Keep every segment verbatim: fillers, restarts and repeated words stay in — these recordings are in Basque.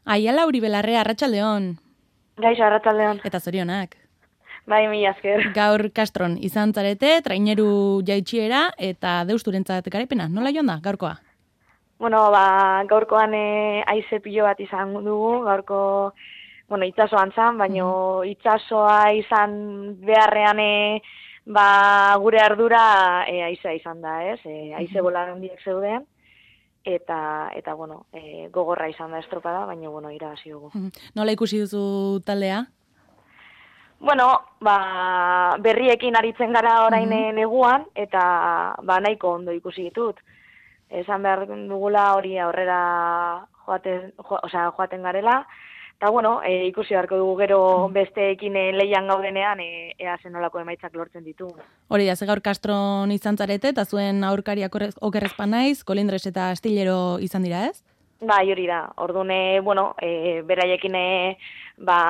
Aiala Uribelarre, arratsaldeon. Gaixo, arratsaldeon. Eta zorionak. Bai, mila esker. Gaur Castron izan zarete, traineru jaitsiera eta deusturentzat garaipena. Nola joan da, gaurkoa? Bueno, ba, gaurkoan e, aize pilo bat izan dugu, gaurko, bueno, itsasoan zan, baina mm-hmm. itsasoa izan beharrean e, ba, gure ardura e, aizea izan da, ez? E, aize mm-hmm. bola handiak zeuden. Eta, eta bueno, e, gogorra izan da estropada, baina, bueno, irabazi dugu. Nola ikusi duzu taldea? Bueno, ba, berriekin aritzen gara orain mm-hmm. neguan, eta ba, nahiko ondo ikusi ditut. Esan behar dugula hori aurrera joaten, jo, osea, joaten garela, eta bueno, e, ikusi beharko dugu gero besteekin e, lehian gaudenean e, ea zenolako emaitzak lortzen ditu. Hori da, ze gaur Castron izan zarete, eta zuen aurkariak okerrezpa naiz, Kolindres eta Astillero izan dira, ez? Bai, hori da. Ordune, bueno, e, beraiekin e, ba,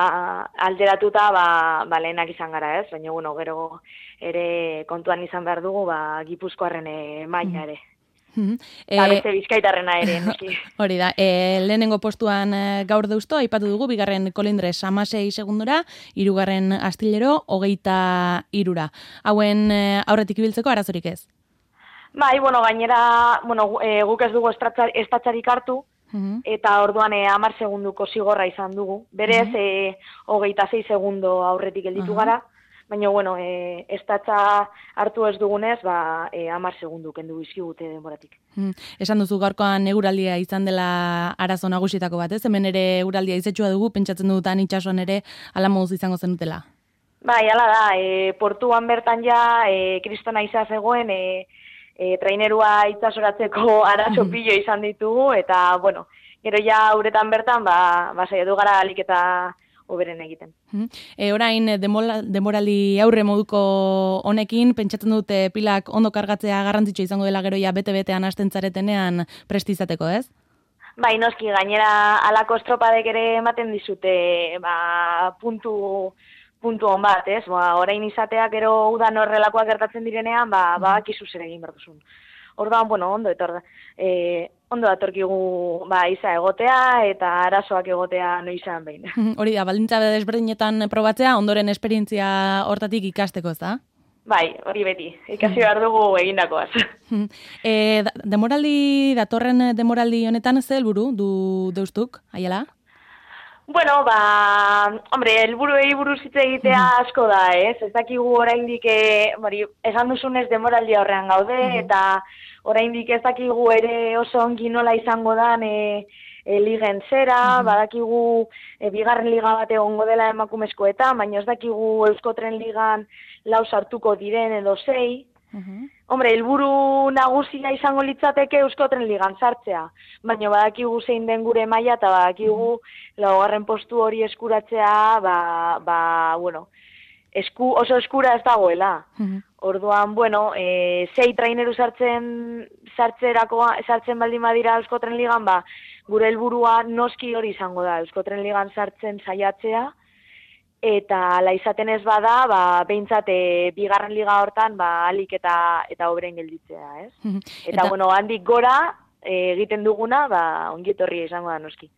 alderatuta ba, ba, lehenak izan gara, ez? Baina, bueno, gero ere kontuan izan behar dugu, ba, Gipuzkoarren e, maila ere. Mm-hmm. Eta e, beste bizkaitarrena ere, noski. Hori da, e, lehenengo postuan e, gaur deusto, aipatu dugu, bigarren Kolindres amasei segundora, hirugarren Astillero, hogeita irura. Hauen e, aurretik ibiltzeko arazorik ez? Bai, bueno, gainera, bueno, e, guk ez dugu estatzarik hartu, mm-hmm. eta orduan e, hamar segunduko zigorra izan dugu. Berez, mm-hmm. e, hogeita sei segundo aurretik gelditu uh-huh. gara, baina, bueno, e, estatza hartu ez dugunez, ba, e, hamar segundu kendu bizkigute denboratik. Hmm. Esan duzu gaurkoan eguraldia izan dela arazo nagusietako bat, ez? Hemen ere eguraldia izetsua dugu, pentsatzen dutan itsasoan ere ala moduz izango zenutela. Bai, hala da, e, portuan bertan ja, e, kristona izan zegoen, e, e, trainerua itsasoratzeko arazo pilo izan ditugu, eta, bueno, gero ja uretan bertan, ba, ba saiatu gara alik eta oberen egiten. E, orain, demorali aurre moduko honekin, pentsatzen dute pilak ondo kargatzea garrantzitsua izango dela gero ja bete-betean hasten zaretenean prestizateko, ez? Bai, noski, gainera alako estropadek ere ematen dizute ba, puntu, puntu on bat, ez? Ba, orain izateak gero udan horrelakoak gertatzen direnean, ba, ba akizu zer egin behar duzun. Orduan, bueno, ondo etor, e, ondo datorkigu ba, iza egotea eta arazoak egotea noizan behin. Hori da, baldintza desberdinetan probatzea, ondoren esperientzia hortatik ikasteko, ez da? Bai, hori beti, ikasi behar dugu egindakoaz. e, demoraldi, datorren demoraldi honetan ze helburu du deustuk, Aiala? Bueno, ba, hombre, helburuei buruz hitz egitea asko da, ez? Ez dakigu oraindik, e, bari, esan duzunez demoraldi aurrean gaude, uh-huh. eta oraindik ez dakigu ere oso ongi nola izango dan e, e, ligen zera, uh-huh. badakigu e, bigarren liga bat egongo dela emakumezkoetan, baina ez dakigu Euskotren ligan lau sartuko diren edo sei. Uh-huh. Hombre, helburu nagusia izango litzateke Euskotren ligan sartzea, baina badakigu zein den gure maila eta badakigu uh-huh. laugarren postu hori eskuratzea, ba, ba, bueno, esku, oso eskura ez dagoela. Uh-huh. Orduan, bueno, e, sei traineru sartzen sartzerako sartzen baldin badira Euskotren ligan, ba, gure helburua noski hori izango da, Euskotren ligan sartzen saiatzea. Eta ala izaten ez bada, ba, behintzat e, bigarren liga hortan ba, alik eta eta oberen gelditzea, ez? Eta, eta bueno, handik gora e, egiten duguna, ba, ongietorria izango da noski.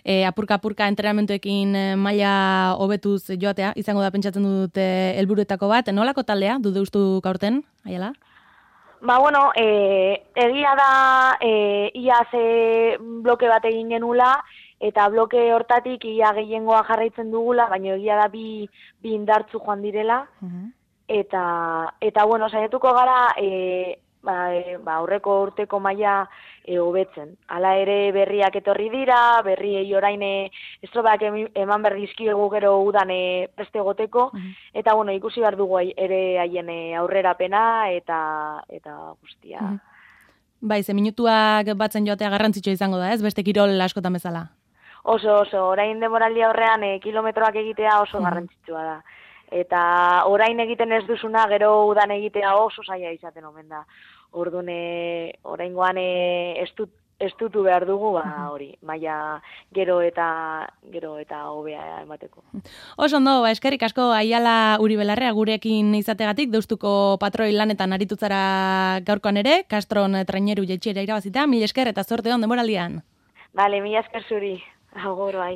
E, apurka-apurka entrenamentuekin maila hobetuz joatea, izango da pentsatzen dute helburuetako bat, nolako taldea du deustu aurten, Aiala? Ba, bueno, e, egia da e, ia ze bloke bat egin genula, eta bloke hortatik ia gehiengoa jarraitzen dugula, baina egia da bi, bi indartzu joan direla. Uh-huh. Eta, eta bueno, saiatuko gara e, ba, e, ba, aurreko urteko maila e, hobetzen. Hala ere berriak etorri dira, berriei orain estropak eman behar dizkiegu gero udan e, preste egoteko, uh-huh. eta bueno, ikusi behar dugu ere haien aurrerapena eta, eta guztia. Uh-huh. Bai, ze minutuak batzen joatea garrantzitsua izango da, ez? Beste kirol askotan bezala. Oso, oso, orain demoraldi aurrean e, kilometroak egitea oso garrantzitsua da. Eta orain egiten ez duzuna, gero udan egitea oso zaila izaten omen da. Orduan, oraingoan ez dut estutu behar dugu, ba, hori, maila gero eta gero eta hobea emateko. Oso ondo, ba, eskerrik asko Aiala Uribelarrea gurekin izategatik, deustuko patroi lanetan aritutzara gaurkoan ere, Castron traineru jaitsiera irabazita, mil esker eta zorte on denboraldian. Bale, mil esker zuri. Agur, bai.